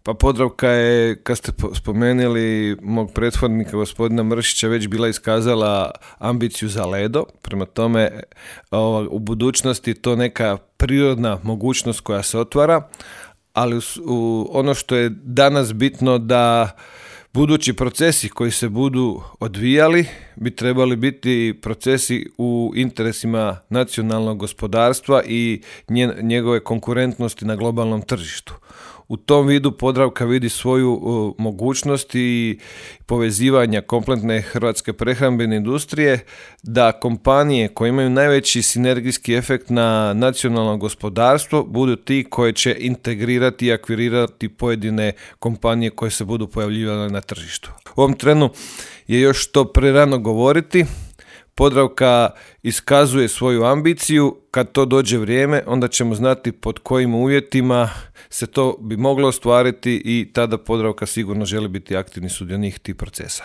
Pa Podravka je, kad ste spomenuli mog prethodnika gospodina Mršića, već bila iskazala ambiciju za Ledo. Prema tome, u budućnosti to neka prirodna mogućnost koja se otvara, ali ono što je danas bitno da budući procesi koji se budu odvijali bi trebali biti procesi u interesima nacionalnog gospodarstva i njegove konkurentnosti na globalnom tržištu. U tom vidu Podravka vidi svoju mogućnost i povezivanja kompletne hrvatske prehrambene industrije, da kompanije koje imaju najveći sinergijski efekt na nacionalno gospodarstvo budu ti koje će integrirati i akvirirati pojedine kompanije koje se budu pojavljivale na tržištu. U ovom trenu je još to prerano govoriti. Podravka iskazuje svoju ambiciju, kad to dođe vrijeme onda ćemo znati pod kojim uvjetima se to bi moglo ostvariti i tada Podravka sigurno želi biti aktivni sudionik tih procesa.